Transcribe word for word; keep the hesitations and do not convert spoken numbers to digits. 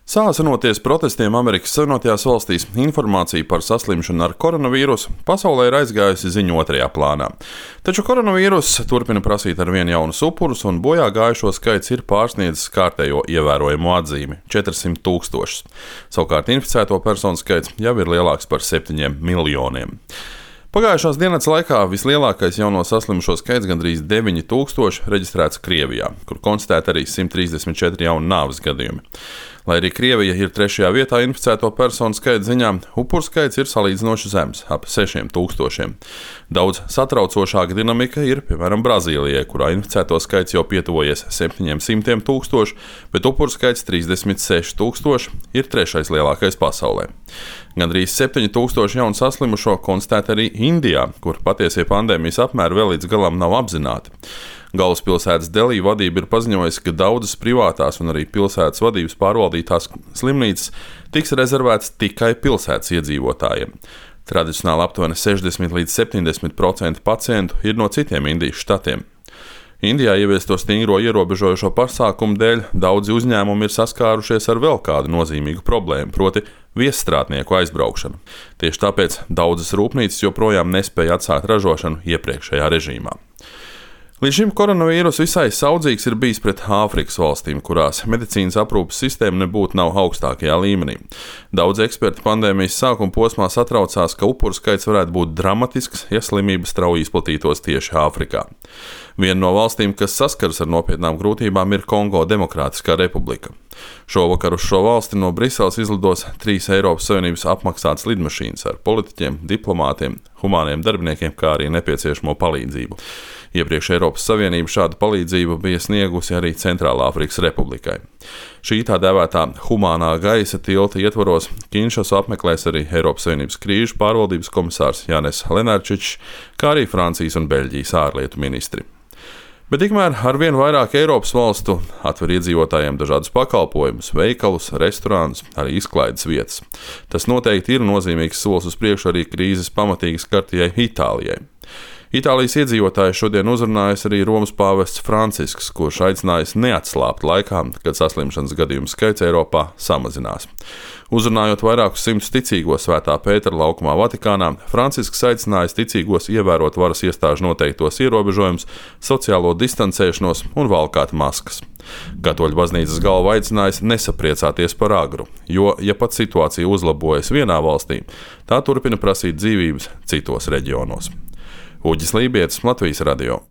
Sāsinoties protestiem Amerikas Savienotajās valstīs, informācija par saslimšanu ar koronavīrusu pasaulē ir aizgājusi ziņu otrajā plānā. Taču koronavīruss turpina prasīt ar vien jaunus upurus, un bojā gājušo skaits ir pārsniedzis kārtējo ievērojamo atzīmi - četrsimt tūkstošus. Savukārt inficēto personu skaits jau ir lielāks par septiņiem miljoniem. Pagājušās dienas laikā vislielākais jauno saslimušo skaits, gandrīz deviņi tūkstoši, reģistrēts Krievijā, kur konstatēti arī simt trīsdesmit četri jauni nāves gadījumi. Lai arī Krievija ir trešajā vietā inficēto personu skaita ziņā, upuru skaits ir salīdzinoši zems - ap sešiem tūkstošiem. Daudz satraucošāka dinamika ir, piemēram, Brazīlijai, kurā inficēto skaits jau pietuvojies septiņiem simtiem tūkstošu, bet upuru skaits trīsdesmit seši tūkstoši ir trešais lielākais pasaulē. Gandrīz septiņi tūkstoši jaunu saslimušo konstatēti arī Indijā, kur patiesie pandēmijas apmēri vēl līdz galam nav apzināti. Galvaspilsētas Delī vadība ir paziņojusi, ka daudzas privātās un arī pilsētas vadības pārvaldītās slimnīcas tiks rezervētas tikai pilsētas iedzīvotājiem. Tradicionāli aptuveni sešdesmit līdz septiņdesmit procenti pacientu ir no citiem Indijas štatiem. Indijā ieviesto stingro ierobežojošo pasākumu dēļ daudzi uzņēmumi ir saskārušies ar vēl kādu nozīmīgu problēmu, proti viesstrādnieku aizbraukšanu. Tieši tāpēc daudzas rūpnīcas joprojām nespēja atsākt ražošanu iepriekšējā režīmā. Līdz šim koronavīrus visai saudzīgs ir bijis pret Āfrikas valstīm, kurās medicīnas aprūpes sistēma nebūtu nav augstākajā līmenī. Daudz eksperti pandēmijas sākuma posmā satraucās, ka upuru skaits varētu būt dramatisks, ja slimība strauji izplatītos tieši Āfrikā. Viena no valstīm, kas saskaras ar nopietnām grūtībām, ir Kongo Demokrātiskā republika. Šovakar uz šo valsti no Briseles izlidos trīs Eiropas Savienības apmaksātas lidmašīnas ar politiķiem, diplomātiem, humāniem darbiniekiem, kā arī nepieciešamo palīdzību. Iepriekš Eiropas Savienība šādu palīdzību bija sniegusi arī Centrālāfrikas Republikai. Šī tā dēvētā humānā gaisa tilta ietvaros Kinšasu apmeklēs arī Eiropas Savienības krīžu pārvaldības komisārs Jānis Lenārčičs, kā arī Francijas un Beļģijas ārlietu ministri. Bet tikmēr ar vien vairāk Eiropas valstu atver iedzīvotājiem dažādus pakalpojumus, veikalus, restorānus, arī izklaides vietas. Tas noteikti ir nozīmīgs solis uz priekšu arī krīzes pamatīgi skartajai Itālijai. Itālijas iedzīvotāji šodien uzrunājas arī Romas pāvests Francisks, kurš aicinājis neatslābt laikā, kad saslimšanas gadījumu skaits Eiropā samazinās. Uzrunājot vairākus simtus ticīgos Svētā Pētera laukumā Vatikānā, Francisks aicinājis ticīgos ievērot varas iestāžu noteiktos ierobežojumus, sociālo distancēšanos un valkāt maskas. Katoļu baznīcas galva aicinājis nesapriecāties par agru, jo, ja pat situācija uzlabojas vienā valstī, tā turpina prasīt dzīvības citos reģionos. Uģis Lībietis, Latvijas radio.